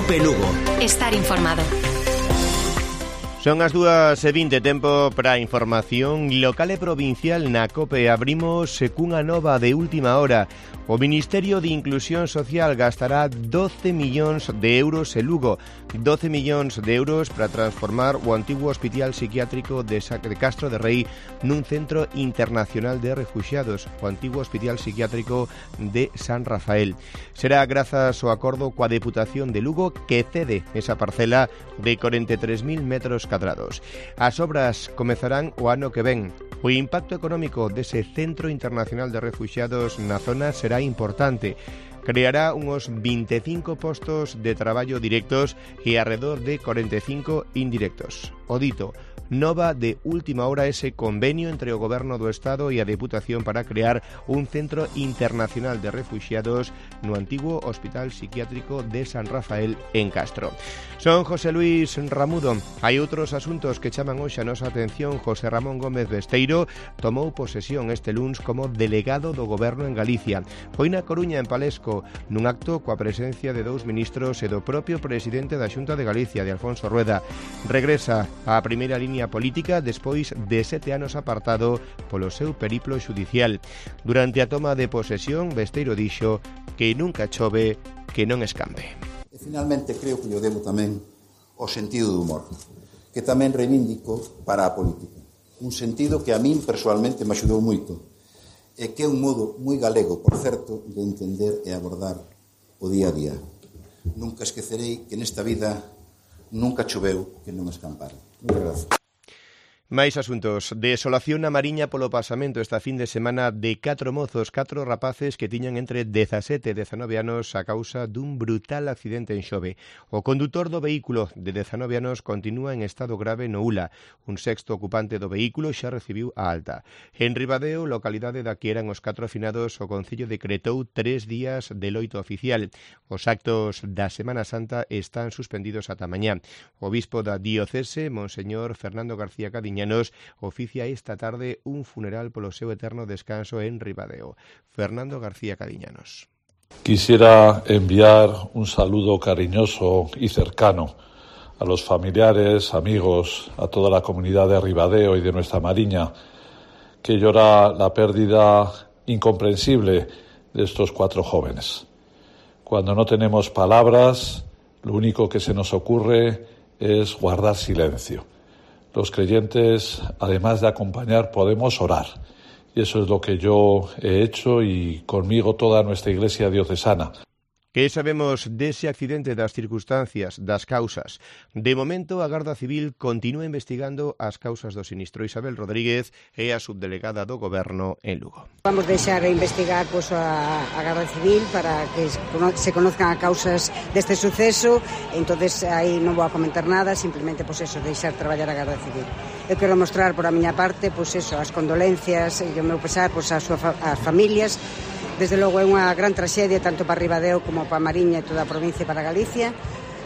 COPE Lugo. Estar informado. Son as 2:20, tempo para a información local e provincial na COPE. Abrimos cunha nova de última hora. O Ministerio de Inclusión Social gastará 12 millóns de euros en Lugo. 12 millóns de euros para transformar o antigo hospital psiquiátrico de Castro de Rei nun centro internacional de refuxiados, o antigo hospital psiquiátrico de San Rafael. Será grazas ao acordo coa Deputación de Lugo, que cede esa parcela de 43.000 metros cadrados. As obras comezarán o ano que ven. O impacto económico dese Centro Internacional de Refuxiados na zona será importante. Creará unos 25 postos de traballo directos e alrededor de 45 indirectos. O dito, nova de última hora ese convenio entre o Goberno do Estado e a Deputación para crear un centro internacional de refuxiados no antigo Hospital Psiquiátrico de San Rafael en Castro. Son José Luis Ramudo. Hai outros asuntos que chaman hoxe a nosa atención. José Ramón Gómez Besteiro tomou posesión este luns como delegado do Goberno en Galicia. Foi na Coruña, en Palesco, nun acto coa presencia de 2 ministros e do propio presidente da Xunta de Galicia, de Alfonso Rueda. Regresa á primeira línea política despois de 7 anos apartado polo seu periplo xudicial. Durante a toma de posesión, Besteiro dixo que nunca chove que non escambe. E finalmente creo que lle debo tamén o sentido do humor, que tamén reivindico para a política. Un sentido que a min persoalmente me axudou moito e que é un modo moi galego, por certo, de entender e abordar o día a día. Nunca esquecerei que nesta vida nunca choveu que non escampara. Moitas gracias. Máis asuntos. Desolación na Mariña polo pasamento esta fin de semana de 4 mozos, 4 rapaces que tiñan entre 17 e 19 anos a causa dun brutal accidente en Xove. O condutor do vehículo de 19 anos continúa en estado grave no Ula. Un sexto ocupante do vehículo xa recibiu a alta. En Ribadeo, localidade da que eran os 4 afinados, o Concello decretou 3 días de loito oficial. Os actos da Semana Santa están suspendidos ata mañá. O obispo da diocese, Monseñor Fernando García Cadiñanos, oficia esta tarde un funeral polo seu eterno descanso en Ribadeo. Fernando García Cadiñanos. Quisiera enviar un saludo cariñoso y cercano a los familiares, amigos, a toda la comunidad de Ribadeo y de nuestra Mariña, que llora la pérdida incomprensible de estos 4 jóvenes. Cuando no tenemos palabras, lo único que se nos ocurre es guardar silencio. Los creyentes, además de acompañar, podemos orar. Y eso es lo que yo he hecho y conmigo toda nuestra Iglesia diocesana. Que sabemos dese accidente, das circunstancias, das causas? De momento, a Garda Civil continúa investigando as causas do sinistro. Isabel Rodríguez é a subdelegada do Goberno en Lugo. Vamos deixar investigar a Garda Civil para que se conozcan as causas deste suceso. Entonces aí non vou a comentar nada, simplemente deixar traballar a Garda Civil. Eu quero mostrar por a miña parte as condolencias e o meu pesar ás familias. Desde logo é unha gran traxedia tanto para Ribadeo como para Mariña e toda a provincia e para Galicia.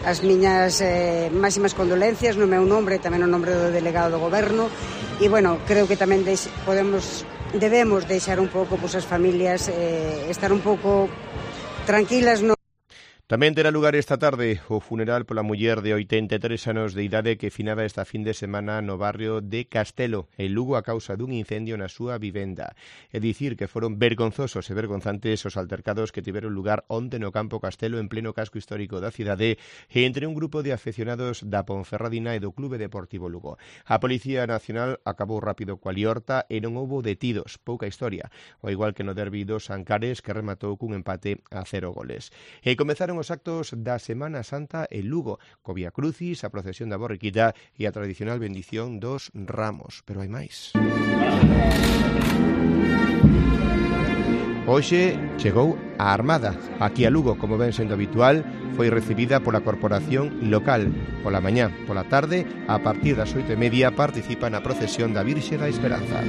As miñas máximas condolencias no meu nombre e tamén no nombre do delegado do Goberno. E, creo que tamén debemos deixar un pouco as familias estar un pouco tranquilas. Tamén terá lugar esta tarde o funeral pola muller de 83 anos de idade que finaba esta fin de semana no barrio de Castelo, en Lugo, a causa dun incendio na súa vivenda. É dicir que foron vergonzosos e vergonzantes os altercados que tiveron lugar onte no campo Castelo, en pleno casco histórico da cidade, e entre un grupo de afeccionados da Ponferradina e do Clube Deportivo Lugo. A Policía Nacional acabou rápido coa liorta e non houbo detidos, pouca historia, ao igual que no derbi dos Ancares, que rematou cun empate a 0 goles. E comezaron os actos da Semana Santa en Lugo, co Vía Crucis, a procesión da Borriquita e a tradicional bendición dos ramos. Pero hai máis. Hoxe chegou a Armada. Aquí a Lugo, como ven sendo habitual, foi recibida pola corporación local. Pola mañá, pola tarde, a partir das 8:30 participa na procesión da Virxe da Esperanza.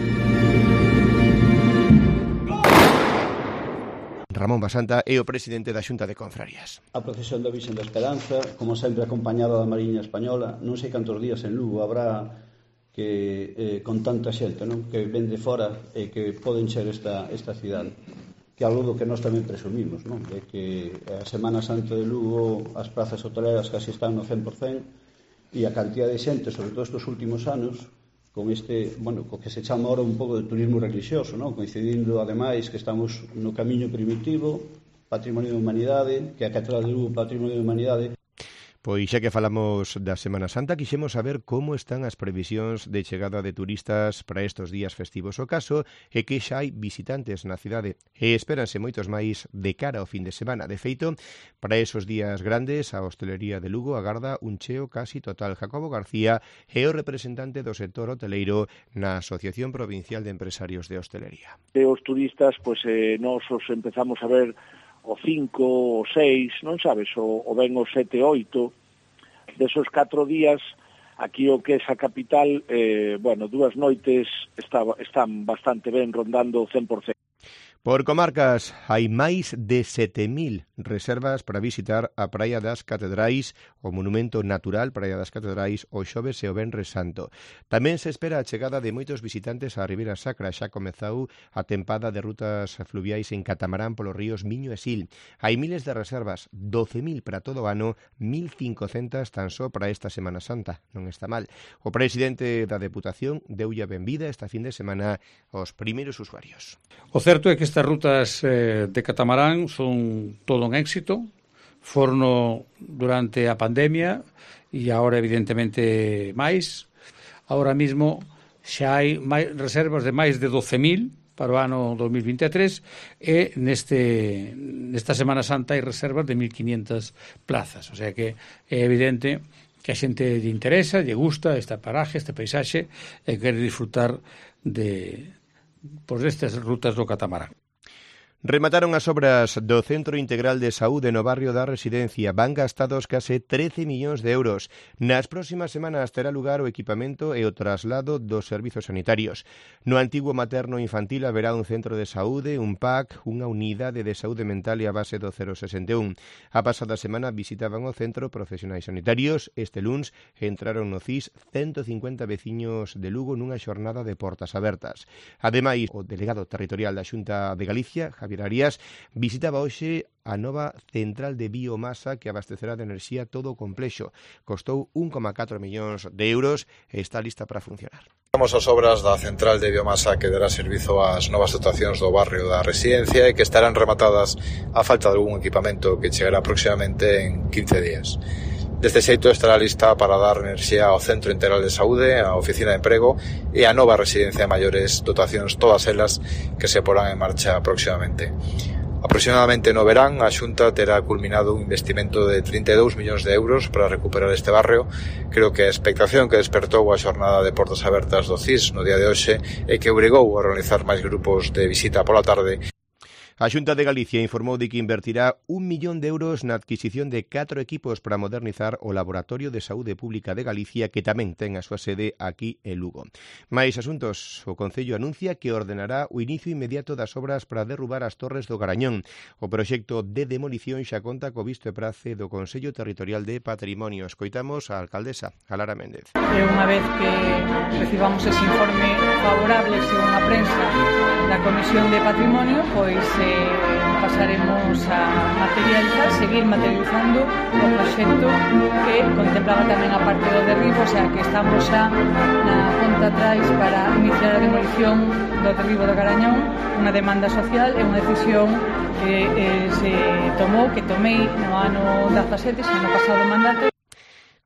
Ramón Basanta é o presidente da Xunta de Confrarías. A procesión da Virxe da Esperanza, como sempre acompañada da Mariña Española, non sei cantos días en Lugo habrá que con tanta xente, non? Que ven de fora e que poden ser esta cidade. que algo do que nós tamén presumimos, non? É que a Semana Santa de Lugo as prazas hoteleras casi están no 100% e a cantidad de xente, sobre todo estes últimos anos, con este, bueno, co que se chama ahora un pouco de turismo religioso, non? Coincidindo ademais que estamos no camiño primitivo, Patrimonio da Humanidade, que a Catedral de Lugo Patrimonio da Humanidade. Pois xa que falamos da Semana Santa, quixemos saber como están as previsións de chegada de turistas para estes días festivos. O caso é que xa hai visitantes na cidade e espéranse moitos máis de cara ao fin de semana. De feito, para esos días grandes, a hostelería de Lugo agarda un cheo casi total. Jacobo García é o representante do sector hoteleiro na Asociación Provincial de Empresarios de Hostelería. Os turistas, pois nós os empezamos a ver o 5, o 6, non sabes, o ven o 7, 8, desos 4 días, aquí o que é a capital, 2 noites están bastante ben, rondando o 100%. Por comarcas, hai máis de 7.000 reservas para visitar a Praia das Catedrais, o monumento natural Praia das Catedrais, o xoves e o venres santo. Tamén se espera a chegada de moitos visitantes á Ribeira Sacra. Xa comezou a tempada de rutas fluviais en catamarán polos ríos Miño e Sil. Hai miles de reservas, 12.000 para todo o ano, 1.500 tan só para esta Semana Santa. Non está mal. O presidente da Deputación deulle a benvida esta fin de semana aos primeiros usuarios. O certo é que estas rutas de catamarán son todo un éxito. Forno durante a pandemia e agora evidentemente máis. Ahora mismo xa hai reservas de máis de 12.000 para o ano 2023 e nesta Semana Santa hai reservas de 1.500 plazas. O sea que é evidente que a xente lle interesa, lle gusta esta paraje, este paisaxe e quere disfrutar destas rutas do catamarán. Remataron as obras do Centro Integral de Saúde no barrio da Residencia. Van gastados case 13 millóns de euros. Nas próximas semanas terá lugar o equipamento e o traslado dos servizos sanitarios. No antigo materno infantil haberá un centro de saúde, un PAC, unha unidade de saúde mental e a base do 061. A pasada semana visitaban o centro profesionais sanitarios. Este luns entraron no CIS 150 veciños de Lugo nunha xornada de portas abertas. Ademais, o delegado territorial da Xunta de Galicia, Javier Arias, visitaba hoxe a nova central de biomasa que abastecerá de enerxía todo o complexo. Costou 1,4 millóns de euros e está lista para funcionar. As obras da central de biomasa que dará servizo ás novas dotacións do barrio da Residencia e que estarán rematadas a falta de algún equipamento que chegará aproximadamente en 15 días. Deste xeito estará lista para dar enerxía ao Centro Integral de Saúde, á Oficina de Emprego e á nova residencia de maiores, dotacións todas elas que se porán en marcha próximamente. Aproximadamente no verán, a Xunta terá culminado un investimento de 32 millóns de euros para recuperar este barrio. Creo que a expectación que despertou a xornada de portas abertas do CIS no día de hoxe e que obrigou a realizar máis grupos de visita pola tarde. A Xunta de Galicia informou de que invertirá 1 millón de euros na adquisición de 4 equipos para modernizar o Laboratorio de Saúde Pública de Galicia, que tamén ten a súa sede aquí en Lugo. Máis asuntos, o Concello anuncia que ordenará o inicio inmediato das obras para derrubar as torres do Garañón. O proxecto de demolición xa conta co visto e prace do Consello Territorial de Patrimonio. Escoitamos a alcaldesa, a Lara Méndez. E unha vez que recibamos ese informe favorable según a prensa da Comisión de Patrimonio, pois pasaremos a seguir materializando o proxecto que contemplaba tamén a parte do derribo, o sea que estamos xa na conta atrás para iniciar a demolición do derribo do Garañón, unha demanda social e unha decisión que tomei no ano 17, xa no pasado mandato.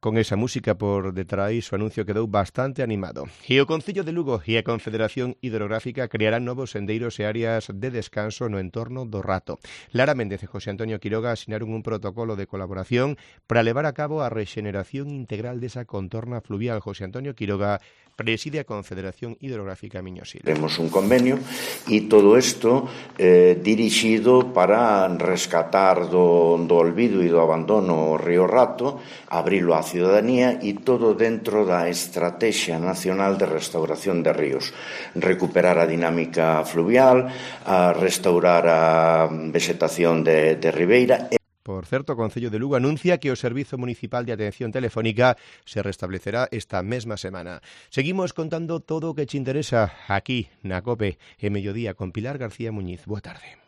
Con esa música por detrás, o anuncio quedou bastante animado. E o Concello de Lugo e a Confederación Hidrográfica crearán novos sendeiros e áreas de descanso no entorno do Rato. Lara Méndez e José Antonio Quiroga asinaron un protocolo de colaboración para levar a cabo a rexeneración integral desa contorna fluvial. José Antonio Quiroga preside a Confederación Hidrográfica Miño Sil. Tenemos un convenio e todo isto dirixido para rescatar do olvido e do abandono o río Rato, abrilo á ciudadanía e todo dentro da Estrategia Nacional de Restauración de Ríos. Recuperar a dinámica fluvial, a restaurar a vegetación de ribeira. Por certo, o Concello de Lugo anuncia que o Servizo Municipal de Atención Telefónica se restablecerá esta mesma semana. Seguimos contando todo o que te interesa aquí na COPE, en Mediodía, con Pilar García Muñiz. Boa tarde.